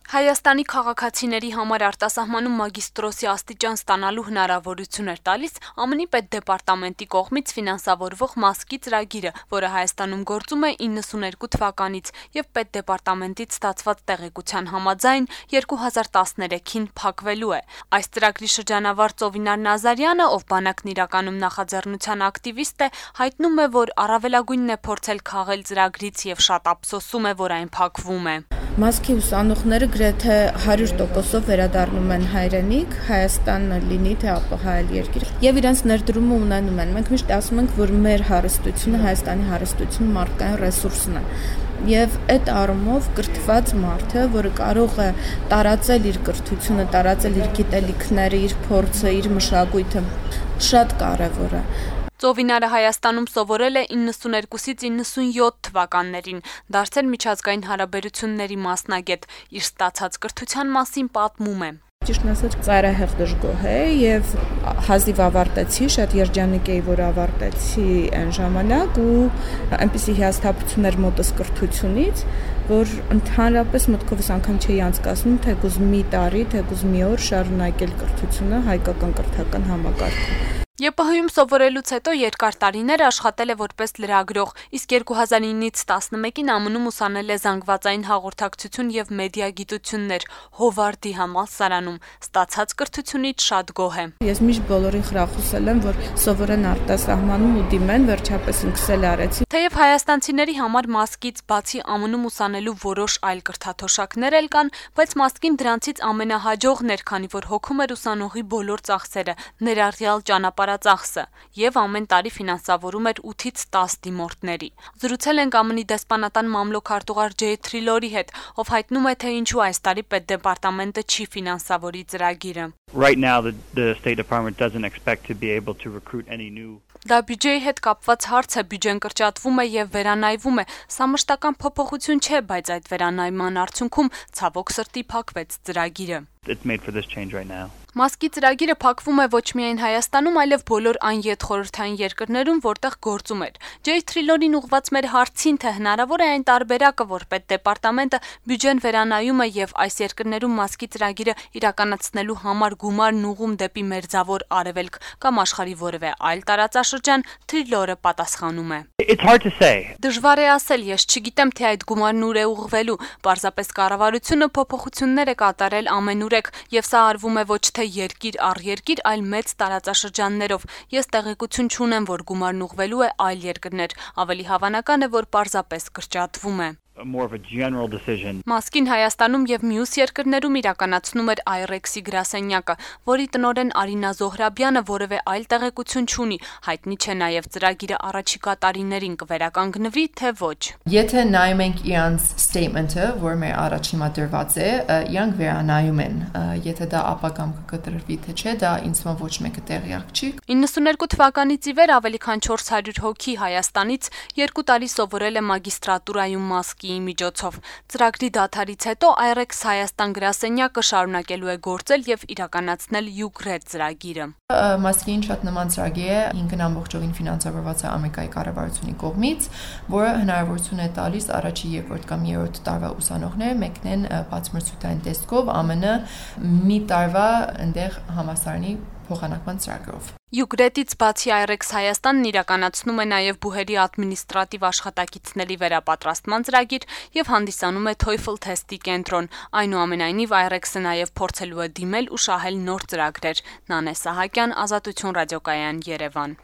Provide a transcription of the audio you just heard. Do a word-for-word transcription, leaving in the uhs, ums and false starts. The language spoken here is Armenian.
Հայաստանի քաղաքացիների համար արտասահմանում մագիստրոսի աստիճան ստանալու հնարավորություն էր տալիս ԱՄՆ պետդեպարտամենտի կողմից ֆինանսավորվող «Մասկի» ծրագիրը, որը Հայաստանում գործում է իննսուներկու թվականից և պետդեպարտամենտից ստացված տեղեկության համաձայն երկու հազար տասներեքին փակվելու է։ Այս ծրագրի շրջանավար Ծովինար Նազարյանը, ով բանակն իրականում նախաձեռնության ակտիվիստ է, հայտնում է, որ առավելագույնն է փորձել քաղել ծրագրից և շատ ափսոսում է, որ այն փակվում է։ «Մասկի» ուսանողները գրեթե հարյուր տոկոսով վերադառնում են հայրենիք, Հայաստանը լինի թե ԱՊՀ այլ երկիր, եւ իրենց ներդրումը ունենում են։ Մենք միշտ ասում ենք, որ մեր հարստությունը, Հայաստանի հարստությունը մարդկային ռեսուրսն է։ Եվ այդ առումով կրթված մարդը, որը կարող է տարածել իր կրթությունը, տարածել իր գիտելիքները, իր փորձը, իր մշակույթը, շատ կարևոր է։ Ծովինարը Հայաստանում սովորել է իննսուներկուսից իննսունյոթ թվականներին, դարձել միջազգային հարաբերությունների մասնագետ, իր ստացած կրթության մասին պատմում է։ Ճիշտն ասած, ծայրահեղ դժգոհ է եւ հազիվ ավարտեցի, շատ երջանիկ էի, որ ավարտեցի այն ժամանակ ու այնպիսի հիասթափություն էր մոտս կրթությունից, որ ընդհանրապես մտքովս անգամ չէի անցկացնում, թեկուզ մի տարի, թեկուզ մի օր շարունակել կրթությունը հայկական կրթական համակարգում։ ԵՊՀ-ում սովորելուց հետո երկար տարիներ աշխատել է որպես լրագրող, իսկ երկու հազար ինից տասնմեկին ԱՄՆ-ում ուսանել է զանգվածային հաղորդակցություն և մեդիա գիտություններ Հովարդի համալսարանում, ստացած կրթությունից շատ գոհ է։ Ես միշտ բոլորին խրախուսել եմ, որ սովորեն արտասահմանում ու դիմեն, վերջապես ինքս էլ արեցի։ Թեև հայաստանցիների համար «Մասկից» բացի ԱՄՆ-ում ուսանելու որոշ այլ կրթաթոշակներ էլ կան, բայց «Մասկին» դրանցից ամենահաջողն էր, քանի որ հոգում էր ուսանողի բոլոր ծախսերը, ներառյալ ճանապարհածախսը, եւ ամեն տարի ֆինանսավորում էր ութից տաս դիմորդների։ Զրուցել ենք ԱՄՆ-ի դեսպանատան մամլոք-արտուղար Ջեյ Թրիլորի հետ, ով հայտնում է, թե ինչու այս տարի պետդեպարտամենտը չի ֆինանսավորի ծրագիրը։ Right now the, the State Department doesn't expect to be able to recruit any new. Դա բյուջեի հետ կապված հարց է, բյուջեն կրճատվում է եւ վերանայվում է։ Սա մշտական փոփոխություն չէ, բայց այդ վերանայման արդյունքում ցավոք սրտի փակվեց ծրագիրը։ It's made for this change right now. «Մասկի» ծրագիրը փակվում է ոչ միայն Հայաստանում, այլև բոլոր այն յետխորհրդային երկրներում, որտեղ գործում էր։ Ջեյ Թրիլորին ուղղված մեր հարցին, թե հնարավոր է այն տարբերակը, որ պետդեպարտամենտը բյուջեն վերանայում է եւ այս երկրներում «Մասկի» ծրագիրը իրականացնելու համար գումարն ուղղում դեպի Մերձավոր Արևելք կամ աշխարհի որևէ այլ տարածաշրջան, Թրիլորը պատասխանում է. It's hard to say. Դժվար է ասել, ես չգիտեմ, թե այդ գումարն ուր է ուղղվելու, պարզապես կառավարությունը փոփոխություններ է կատարել ամենուրեք, եւ սա արվում է ոչ թե երկիր առ երկիր, այլ մեծ տարածաշրջաններով։ Ես տեղեկություն չունեմ, որ գումարն ուղղվելու է այլ երկրներ, ավելի հավանական է, որ պարզապես կրճատվում է։ More of a general decision. «Մասկին» Հայաստանում եւ մյուս երկրներում իրականացնում էր Այրեքսի գրասենյակը, որի տնօրեն Արինա Զոհրաբյանը որևէ այլ տեղեկություն չունի, հայտնի չէ նաեւ ծրագիրը առաջիկա տարիներին կվերականգնվի, թե ոչ։ Եթե նայում ենք իրանց statement-ը, որ մեր առաջ հիմա դրված է, իրանք վերանայում են, եթե դա ապագամ կկտրվի թե չէ, դա ինձ թվում ոչ մեկը տեղյակ չի։ իննսուներկու թվականից ի վեր ավելի քան չորս հարյուր հոգի Հայաստանից երկու տարի սովորել է մագիստրատուրայում «Մասկի» միջոցով։ Ծրագրի դադարից հետո Այրեքս Հայաստան գրասենյակը շարունակելու է գործել եւ իրականացնել Յուկրետ ծրագիրը։ «Մասկին» շատ նման ծրագիր է, ինքն ամբողջովին ֆինանսավորված է Ամերիկայի կառավարությունի կողմից, որը հնարավորություն է տալիս առաջի, երկրորդ կամ երրորդ տարվա ուսանողները մեկնեն բացմրցութային տեսքով ԱՄՆ մի տարվա այնտեղ համալսարանի փոխանակման ծրագրով։ Յուկրետից բացի Այրեքս Հայաստանն իրականացնում է նաև բուհերի ադմինիստրատիվ աշխատակիցների վերապատրաստման ծրագիր եւ հանդիսանում է TOEFL թեստի կենտրոն։ Այնուամենայնիվ Այրեքսը նաև փորձելու է դիմել ու շահել նոր ծրագրեր։ Նանե Սահակյան, Ազատություն ռադիոկայան, Երևան։